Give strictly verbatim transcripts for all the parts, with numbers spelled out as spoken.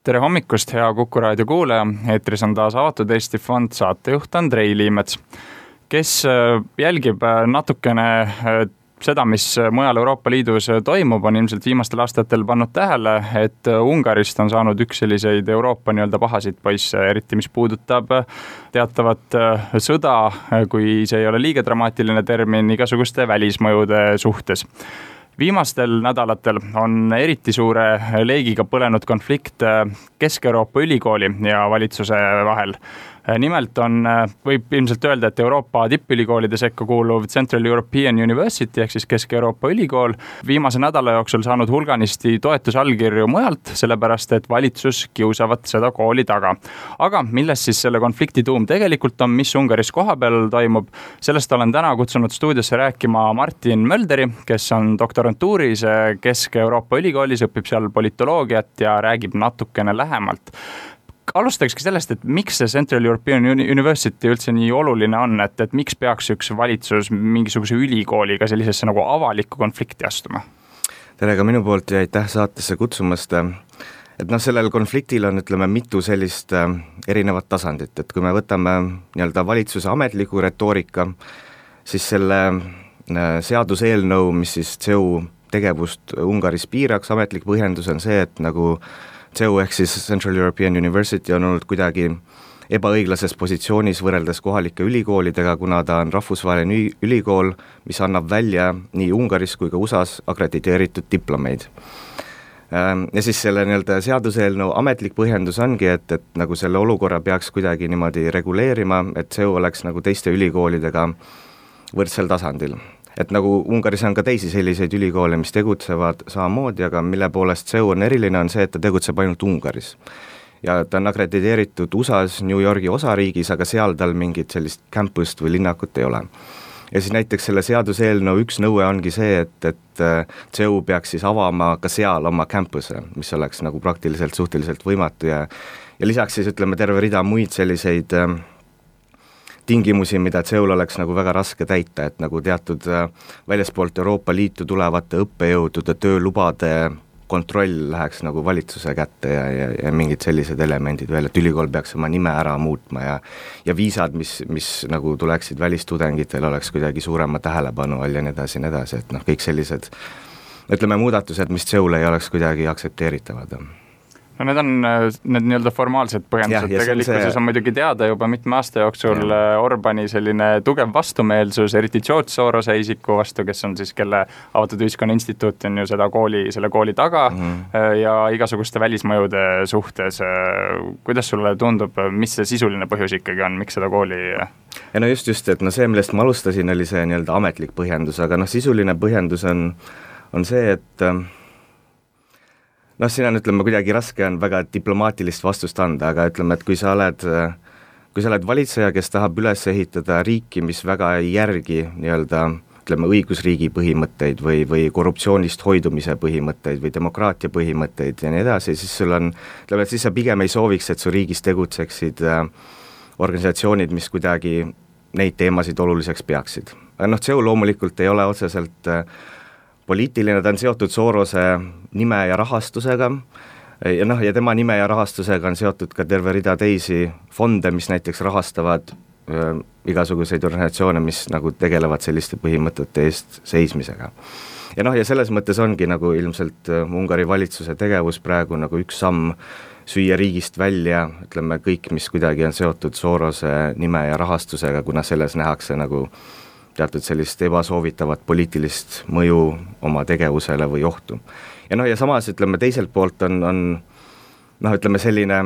Tere hommikust, hea Kuku raadio kuulaja. Eetris on taas Avatud Eesti Fond saatejuht Andrei Liimets, kes jälgib natukene seda, mis mujal Euroopa Liidus toimub, on ilmselt viimastel aastatel pannud tähele, et Ungarist on saanud üks selliseid Euroopa nii-öelda pahasid poisse, eriti mis puudutab teatavat sõda, kui see ei ole liiga dramaatiline termin, igasuguste välismõjude suhtes. Viimastel nädalatel on eriti suure leegiga põlenud konflikt Kesk-Euroopa ülikooli ja valitsuse vahel. Nimelt on, võib ilmselt öelda, et Euroopa tippülikoolide sekka kuuluv Central European University ehk siis Kesk-Euroopa ülikool viimase nädala jooksul saanud hulganisti toetusallkirju mujalt, sellepärast et valitsus kiusavat seda kooli taga. Aga milles siis selle konflikti tuum tegelikult on, mis Ungaris kohapeal toimub, sellest olen täna kutsunud stuudiosse rääkima Martin Mölderi, kes on doktorantuuris Kesk-Euroopa ülikoolis, õpib seal politoloogiat ja räägib natukene lähemalt. Alustakski sellest, et miks see Central European University üldse nii oluline on, et, et miks peaks üks valitsus mingisuguse ülikooliga sellisesse nagu avalikku konflikti astuma? Tere ka minu poolt ja aitäh saatesse kutsumast. Et noh, sellel konfliktil on, ütleme, mitu sellist erinevat tasandit, et kui me võtame nii-öelda valitsuse ametliku retoorika, siis selle seaduseelnõu, mis siis C E U tegevust Ungaris piiraks, ametlik põhjendus on see, et nagu C E U ehk siis Central European University on olnud kuidagi ebaõiglases positsioonis võrreldes kohalike ülikoolidega, kuna ta on rahvusvaheline ülikool, mis annab välja nii Ungaris kui ka U S A-s akrediteeritud diplomeid. Ja siis selle nii-öelda seaduseelnõu ametlik põhjendus ongi, et, et nagu selle olukorra peaks kuidagi niimoodi reguleerima, et C E U oleks nagu teiste ülikoolidega võrdsel tasandil. Et nagu Ungaris on ka teisi selliseid ülikoole, mis tegutsevad samamoodi, aga mille poolest C E U on eriline, on see, et ta tegutseb ainult Ungaris. Ja ta on akrediteeritud U S A-s, New Yorgi osariigis, aga seal tal mingit sellist campust või linnakut ei ole. Ja siis näiteks selle seaduseelnõu üks nõue ongi see, et, et C E U peaks siis avama ka seal oma campuse, mis oleks nagu praktiliselt suhteliselt võimatu ja, ja lisaks siis ütleme terve rida muid selliseid tingimusi, mida C E U-l oleks nagu väga raske täita, et nagu teatud väljaspoolt Euroopa Liitu tulevate õppejõudude töölubade kontroll läheks nagu valitsuse kätte ja, ja, ja mingid sellised elemendid veel, et ülikool peaks oma nime ära muutma ja, ja viisad, mis, mis nagu tuleksid välistudengitel, oleks kuidagi suurema tähelepanu all ja nii edasi, nii edasi, et noh, kõik sellised, ütleme, muudatused, mis C E U-le ei oleks kuidagi aktsepteeritavad. No need on need nii-öelda formaalsed põhjendused, tegelikkuses see... on muidugi teada juba mitme aasta jooksul ja. Orbani selline tugev vastumeelsus, eriti George Sorose isiku vastu, kes on siis, kelle Avatud Ühiskonna Instituut on ju seda kooli, selle kooli taga mm-hmm. ja igasuguste välismõjude suhtes. Kuidas sulle tundub, mis see sisuline põhjus ikkagi on, miks seda kooli? Ja no just, just, et no see, millest ma alustasin, oli see nii-öelda ametlik põhjendus, aga noh, sisuline põhjendus on, on see, et noh, siin on, ütleme, kuidagi raske on väga diplomaatilist vastust anda, aga ütleme, et kui sa oled, kui sa oled valitseja, kes tahab üles ehitada riiki, mis väga ei järgi nii-öelda, ütleme, õigusriigi põhimõtteid või, või korruptsioonist hoidumise põhimõtteid või demokraatia põhimõtteid ja nii edasi, siis sul on, ütleme, et siis sa pigem ei sooviks, et su riigis tegutseksid organisatsioonid, mis kuidagi neid teemasid oluliseks peaksid. Aga noh, C E U loomulikult ei ole otseselt poliitiline, ta on seotud Sorose nime ja rahastusega ja noh, ja tema nime ja rahastusega on seotud ka terve rida teisi fonde, mis näiteks rahastavad äh, igasuguseid organisatsioone, mis nagu tegelevad selliste põhimõtete eest seismisega. Ja noh, ja selles mõttes ongi nagu ilmselt äh, Ungari valitsuse tegevus praegu nagu üks samm süüa riigist välja, ütleme kõik, mis kuidagi on seotud Sorose nime ja rahastusega, kuna selles nähakse nagu teatud sellist ebasoovitavat poliitilist mõju oma tegevusele või ohtu. Ja noh, ja samas ütleme teiselt poolt on, on noh, ütleme selline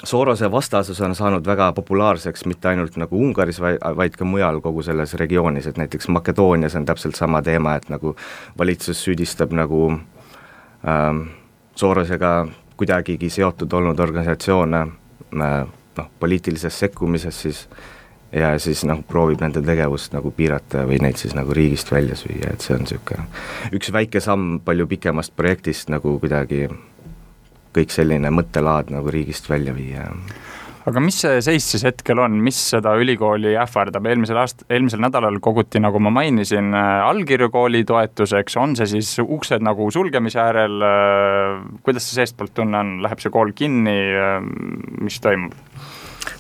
Sorose vastasus on saanud väga populaarseks mitte ainult nagu Ungaris, vaid ka mujal kogu selles regioonis, et näiteks Makedoonias on täpselt sama teema, et nagu valitsus süüdistab nagu ähm, Sorosega kuidagigi seotud olnud organisatsioone äh, noh, poliitilises sekkumises siis ja siis noh, proovib nende tegevust nagu piirata või neid siis nagu riigist välja süüa, et see on siuke üks väike samm palju pikemast projektist nagu kuidagi kõik selline mõttelaad nagu riigist välja viia. aga mis see seis siis hetkel on, mis seda ülikooli ähvardab? Eelmisel aast-, eelmisel nädalal koguti, nagu ma mainisin, allkirju kooli toetuseks, on see siis uksed nagu sulgemise äärel, kuidas see seestpoolt tunne on, läheb see kool kinni, mis toimub?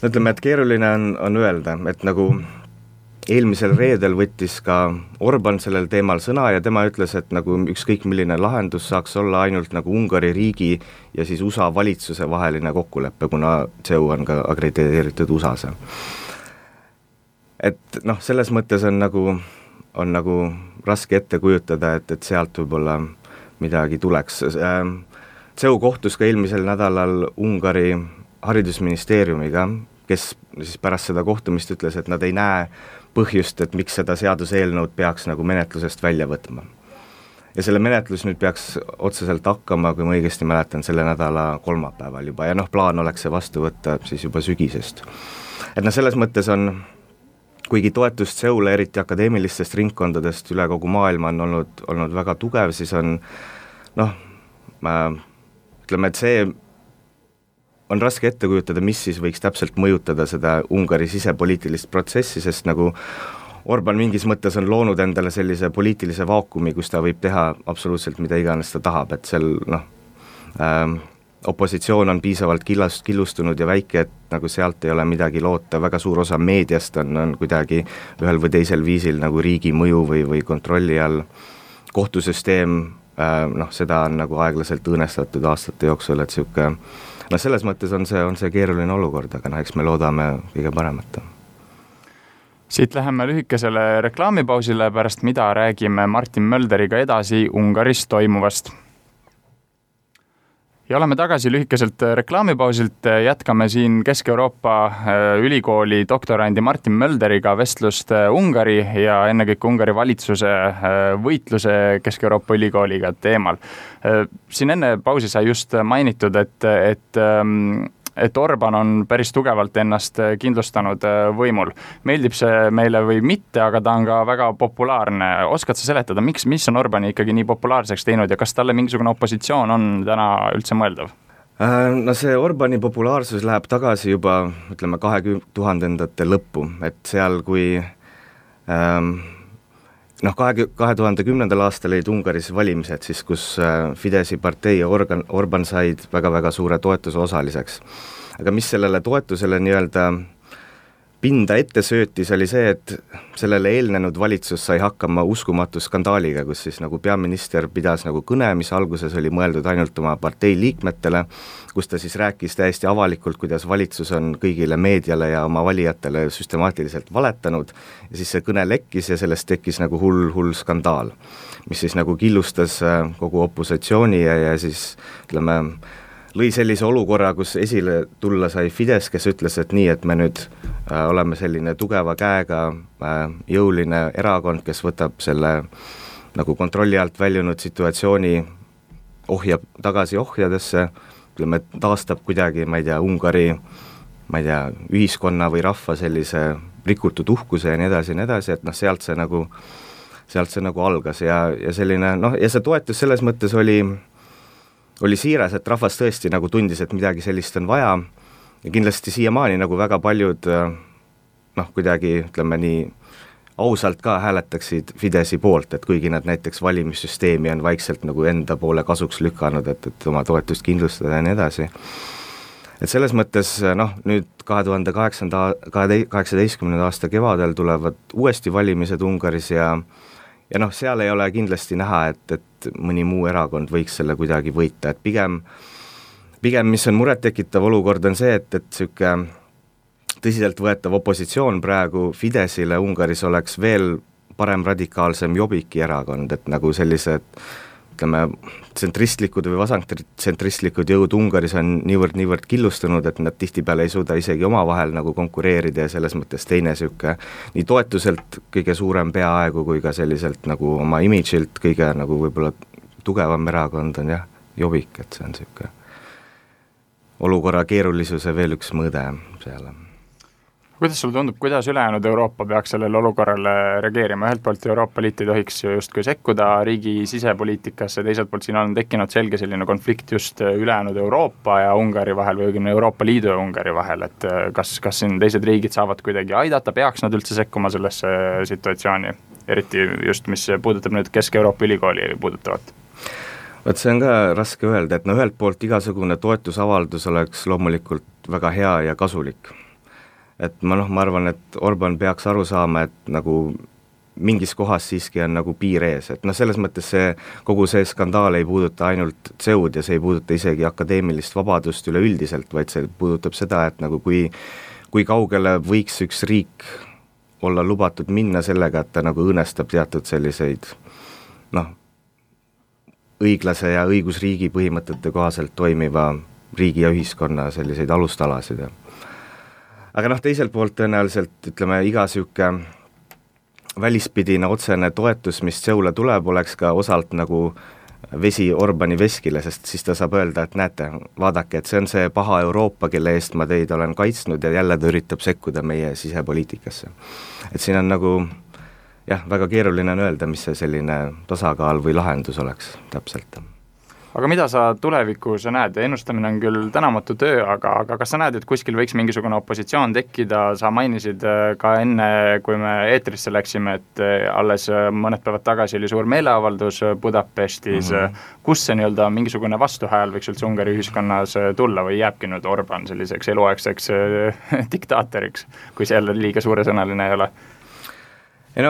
No ütleme, et keeruline on, on öelda, et nagu eelmisel reedel võttis ka Orban sellel teemal sõna ja tema ütles, et nagu ükskõik milline lahendus saaks olla ainult nagu Ungari riigi ja siis U S A valitsuse vaheline kokkulepe, kuna C E U on ka akrediteeritud U S A-s. Et noh, selles mõttes on nagu, on nagu raske ette kujutada, et, et sealt võib-olla midagi tuleks. C E U kohtus ka eelmisel nädalal Ungari haridusministeeriumiga, kes siis pärast seda kohtumist ütles, et nad ei näe põhjust, et miks seda seaduseelnõud peaks nagu menetlusest välja võtma. Ja selle menetlus nüüd peaks otseselt hakkama, kui ma õigesti mäletan, selle nädala kolmapäeval juba, ja noh, plaan oleks see vastu võtta siis juba sügisest. Et noh, selles mõttes on, kuigi toetust C E U-le, eriti akadeemilistest ringkondadest üle kogu maailma on olnud, olnud väga tugev, siis on noh, ma ütleme, et see on raske ette kujutada, mis siis võiks täpselt mõjutada seda Ungari sisepoliitilist protsessi, sest nagu Orban mingis mõttes on loonud endale sellise poliitilise vaakumi, kus ta võib teha absoluutselt mida iganes ta tahab, et seal noh, ähm, opositsioon on piisavalt killast, killustunud ja väike, et nagu sealt ei ole midagi loota, väga suur osa meediast on, on kuidagi ühel või teisel viisil nagu riigi mõju või, või kontrolli all. Kohtusüsteem, äh, noh, seda on nagu aeglaselt õõnestatud aastate jooksul, et siuke no selles mõttes on see, on see keeruline olukord, aga no eks me loodame kõige paremat. Siit läheme lühikesele reklaamipausile, pärast mida räägime Martin Mölderiga edasi Ungaris toimuvast. Ja oleme tagasi lühikeselt reklaamipausilt, jätkame siin Kesk-Euroopa ülikooli doktorandi Martin Mölderiga vestlust Ungari ja ennekõike Ungari valitsuse võitluse Kesk-Euroopa ülikooliga teemal. Siin enne pausi sai just mainitud, et, et, et Orban on päris tugevalt ennast kindlustanud võimul. Meeldib see meile või mitte, aga ta on ka väga populaarne. Oskad sa seletada, miks, mis on Orbani ikkagi nii populaarseks teinud ja kas talle mingisugune opositsioon on täna üldse mõeldav? No see Orbani populaarsus läheb tagasi juba, ütleme, kahe tuhandendate lõppu, et seal kui ähm, noh, kahe, kahe tuhande kümnendal aastal olid Ungaris valimised, siis kus Fidesi partei ja Organ, Orban said väga-väga suure toetuse osaliseks. Aga mis sellele toetusele nii-öelda pinda ette söötis, oli see, et sellele eelnenud valitsus sai hakkama uskumatu skandaaliga, kus siis nagu peaminister pidas nagu kõne, mis alguses oli mõeldud ainult oma partei liikmetele, kus ta siis rääkis täiesti avalikult, kuidas valitsus on kõigile meediale ja oma valijatele süstemaatiliselt valetanud ja siis see kõne lekkis ja sellest tekkis nagu hull, hull skandaal, mis siis nagu killustas kogu opositsiooni ja, ja siis ütleme, lõi sellise olukorra, kus esile tulla sai Fides, kes ütles, et nii, et me nüüd äh, oleme selline tugeva käega äh, jõuline erakond, kes võtab selle nagu kontrolli alt väljunud situatsiooni, ohjab tagasi ohjadesse, ütleme, taastab kuidagi, ma ei tea, Ungari, ma ei tea, ühiskonna või rahva sellise rikutud uhkuse ja nii edasi ja nii edasi, et noh, sealt see nagu, sealt see nagu algas ja, ja selline, noh, ja see toetus selles mõttes oli oli siiras, et rahvas tõesti nagu tundis, et midagi sellist on vaja ja kindlasti siiamaani nagu väga paljud noh, kuidagi ütleme nii ausalt ka hääletaksid Fidesi poolt, et kuigi nad näiteks valimissüsteemi on vaikselt nagu enda poole kasuks lükanud, et, et oma toetust kindlustada ja nii edasi. Et selles mõttes noh, nüüd kahe tuhande kaheksateistkümnenda aasta kevadel tulevad uuesti valimised Ungaris ja ja noh, seal ei ole kindlasti näha, et, et mõni muu erakond võiks selle kuidagi võita, et pigem, pigem mis on murettekitav olukord on see, et, et siuke tõsiselt võetav opositsioon praegu Fidesile Ungaris oleks veel parem radikaalsem Jobbiki erakond, et nagu sellised ütleme, tsentristlikud või vasangtsentristlikud jõud Ungaris on niivõrd, niivõrd killustunud, et nad tihtipeale ei suuda isegi omavahel nagu konkureerida ja selles mõttes teine siuke nii toetuselt kõige suurem peaaegu kui ka selliselt nagu oma imidžilt kõige nagu võib-olla tugevam erakond on jah, Jobbik, et see on siuke olukorra keerulisuse veel üks mõõde seal. Kuidas sulle tundub, kuidas ülejäänud Euroopa peaks sellele olukorrale reageerima? Ühelt poolt Euroopa Liit ei tohiks justkui sekkuda riigi sisepoliitikasse, teiselt poolt siin on tekkinud selge selline konflikt just ülejäänud Euroopa ja Ungari vahel või Euroopa Liidu ja Ungari vahel, et kas, kas siin teised riigid saavad kuidagi aidata, peaks nad üldse sekkuma sellesse situatsiooni, eriti just mis puudutab nüüd Kesk-Euroopa ülikooli puudutavat? Võt see on ka raske öelda, et no ühelt poolt igasugune toetusavaldus oleks loomulikult väga hea ja kasulik. Et ma noh, ma arvan, et Orban peaks aru saama, et nagu mingis kohas siiski on nagu piir ees, et noh, selles mõttes see, kogu see skandaal ei puuduta ainult C E U-d ja see ei puuduta isegi akadeemilist vabadust üleüldiselt, vaid see puudutab seda, et nagu kui, kui kaugele võiks üks riik olla lubatud minna sellega, et ta nagu õõnestab teatud selliseid noh, õiglase ja õigusriigi põhimõtete kohaselt toimiva riigi ja ühiskonna selliseid alustalasid. Aga noh, teiselt poolt tõenäoliselt, ütleme, iga siuke välispidine otsene toetus, mis C E U-le tuleb, oleks ka osalt nagu vesi Orbani veskile, sest siis ta saab öelda, et näete, vaadake, et see on see paha Euroopa, kelle eest ma teid olen kaitsnud ja jälle ta üritab sekkuda meie sisepoliitikasse. Et siin on nagu, jah, väga keeruline on öelda, mis see selline tasakaal või lahendus oleks täpselt. Aga mida sa tulevikus näed? Ennustamine on küll tänamatu töö, aga, aga kas sa näed, et kuskil võiks mingisugune opositsioon tekkida? Sa mainisid ka enne, kui me eetrisse läksime, et alles mõned päevad tagasi oli suur meeleavaldus Budapestis. Mm-hmm. Kus see nii-öelda mingisugune vastuhääl võiks üldse Ungari ühiskonnas tulla või jääbki nüüd Orban selliseks eluaegseks diktaatoriks, kui see jälle liiga suuresõnaline ei ole? Ei no,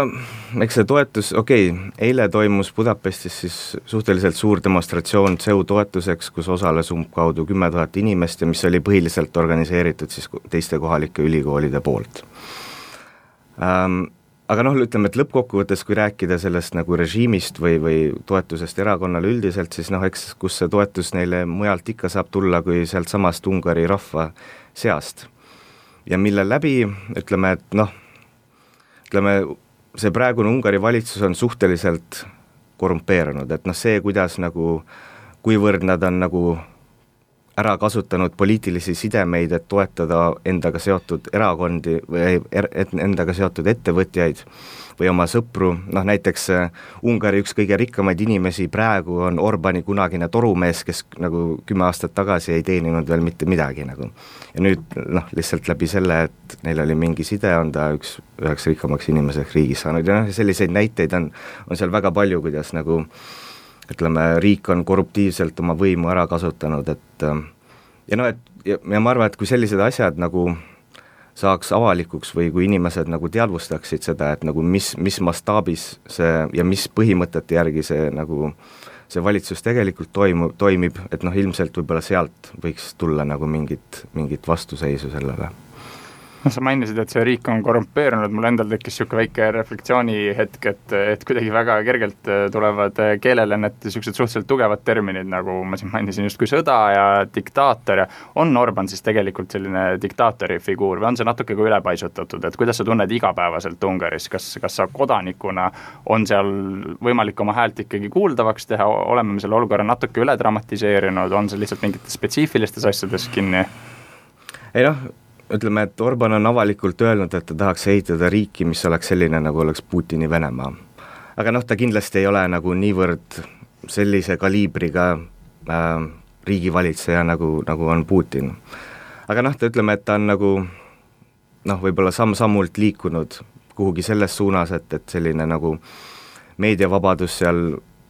eks see toetus, okei, okay, eile toimus Budapestis siis suhteliselt suur demonstratsioon C E U toetuseks, kus osales umbkaudu kümme tuhat inimest ja mis oli põhiliselt organiseeritud siis teiste kohalike ülikoolide poolt. Ähm, aga noh, ütleme, et lõppkokkuvõttes, kui rääkida sellest nagu režiimist või, või toetusest erakonnale üldiselt, siis noh, eks kus see toetus neile mujalt ikka saab tulla kui sealt samast Ungari rahva seast. Ja mille läbi, ütleme, et noh, ütleme, see praegune Ungari valitsus on suhteliselt korrumpeerunud, et noh, see, kuidas nagu, kuivõrd nad on nagu ära kasutanud poliitilisi sidemeid, et toetada endaga seotud erakondi või er, endaga seotud ettevõtjaid või oma sõpru, noh näiteks Ungari üks kõige rikkamaid inimesi praegu on Orbani kunagine torumees, kes nagu kümme aastat tagasi ei teeninud veel mitte midagi nagu. Ja nüüd noh, lihtsalt läbi selle, et neil oli mingi side, on ta üks üheks rikkamaks inimeseks riigis saanud ja noh, selliseid näiteid on, on seal väga palju, kuidas nagu ütleme, riik on korruptiivselt oma võimu ära kasutanud, et ja noh, et ja, ja ma arvan, et kui sellised asjad nagu saaks avalikuks või kui inimesed nagu teadvustaksid seda, et nagu mis, mis mastaabis see ja mis põhimõtete järgi see nagu see valitsus tegelikult toimu, toimib, et noh, ilmselt võib-olla sealt võiks tulla nagu mingit, mingit vastuseisu sellele. No, sa mainisid, et see riik on korrumpeerunud, mul endal tekkis siuke väike reflektsiooni hetk, et, et kuidagi väga kergelt tulevad keelele need siuksed suhteliselt tugevad terminid, nagu ma siin mainisin just kui sõda ja diktaator ja on Orban siis tegelikult selline diktaatori figuur või on see natuke kui ülepaisutatud, et kuidas sa tunned igapäevaselt Ungaris, kas, kas sa kodanikuna on seal võimalik oma häält ikkagi kuuldavaks teha, oleme me selle olukorra natuke üle dramatiseerinud, on see lihtsalt mingites spetsiifilistes asjades kinni? Ei noh, ütleme, et Orban on avalikult öelnud, et ta tahaks ehitada riiki, mis oleks selline, nagu oleks Putini Venemaa. Aga noh, ta kindlasti ei ole nagu niivõrd sellise kaliibriga äh, riigivalitseja, nagu, nagu on Putin. Aga noh, ta ütleme, et ta on nagu noh, võib-olla samm-sammult liikunud kuhugi selles suunas, et, et selline nagu meediavabadus seal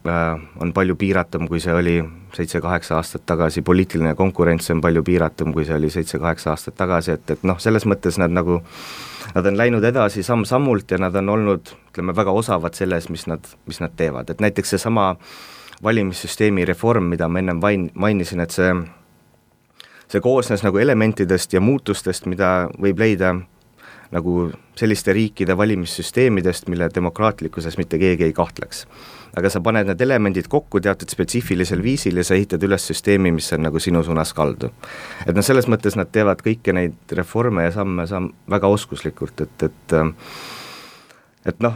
äh, on palju piiratum, kui see oli seitse-kaheksa aastat tagasi, poliitiline konkurents on palju piiratum, kui see oli seitse-kaheksa aastat tagasi, et, et noh, selles mõttes nad nagu, nad on läinud edasi samm-sammult ja nad on olnud, ütleme, väga osavad selles, mis nad, mis nad teevad, et näiteks see sama valimissüsteemi reform, mida ma ennem vain, mainisin, et see, see koosnes nagu elementidest ja muutustest, mida võib leida nagu selliste riikide valimissüsteemidest, mille demokraatlikkuses mitte keegi ei kahtleks. Aga sa paned need elemendid kokku teatud spetsiifilisel viisil ja sa ehitad üles süsteemi, mis on nagu sinu suunas kaldu. Et no selles mõttes nad teevad kõiki neid reforme ja samme samm väga oskuslikult, et, et, et noh,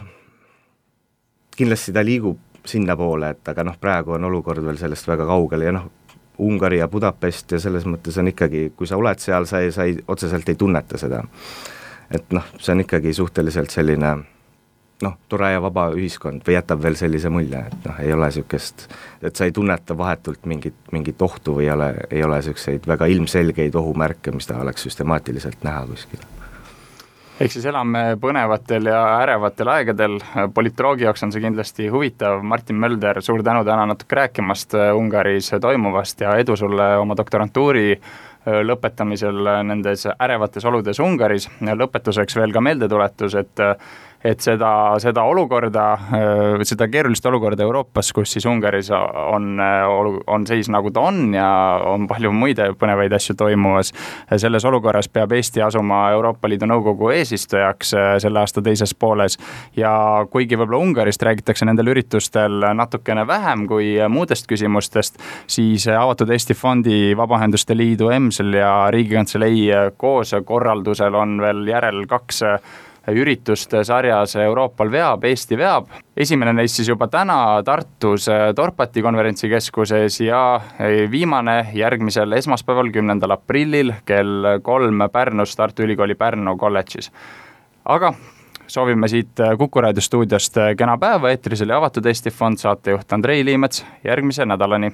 kindlasti ta liigub sinna poole, et aga noh, praegu on olukord veel sellest väga kaugel ja noh, Ungari ja Budapest ja selles mõttes on ikkagi, kui sa oled seal, sa ei, sa ei, otseselt ei tunneta seda. et noh, see on ikkagi suhteliselt selline noh, tore ja vaba ühiskond või jätab veel sellise mulje, et noh, ei ole niisugust, et sa ei tunneta vahetult mingit, mingit ohtu või ei ole, ei ole niisuguseid väga ilmselgeid ohumärke, mis ta oleks süstemaatiliselt näha kuskil. Ehk siis elame põnevatel ja ärevatel aegadel, politoloogi jaoks on see kindlasti huvitav. Martin Mölder, suur tänu täna natuke rääkimast Ungaris toimuvast ja edu sulle oma doktorantuuri lõpetamisel nendes ärevates oludes Ungaris. Lõpetuseks veel ka meeldetuletus, et et seda, seda olukorda, seda keerulist olukorda Euroopas, kus siis Ungaris on, on seis nagu ta on ja on palju muid põnevaid asju toimumas. Selles olukorras peab Eesti asuma Euroopa Liidu Nõukogu eesistujaks selle aasta teises pooles ja kuigi võib-olla Ungarist räägitakse nendel üritustel natukene vähem kui muudest küsimustest, siis Avatud Eesti Fondi, Vabaühenduste Liidu, EMSL ja Riigikantselei koos korraldusel on veel järel kaks üritust sarjas Euroopal veab, Eesti veab. Esimene neist siis juba täna Tartus Dorpati konverentsikeskuses ja viimane järgmisel esmaspäeval, kümnendal aprillil kell kolm Pärnus Tartu Ülikooli Pärnu kolledžis. Aga soovime siit Kuku Raadio stuudiost kena päeva, eetris oli Avatud Eesti Fond, saatejuht Andrei Liimets, järgmise nädalani.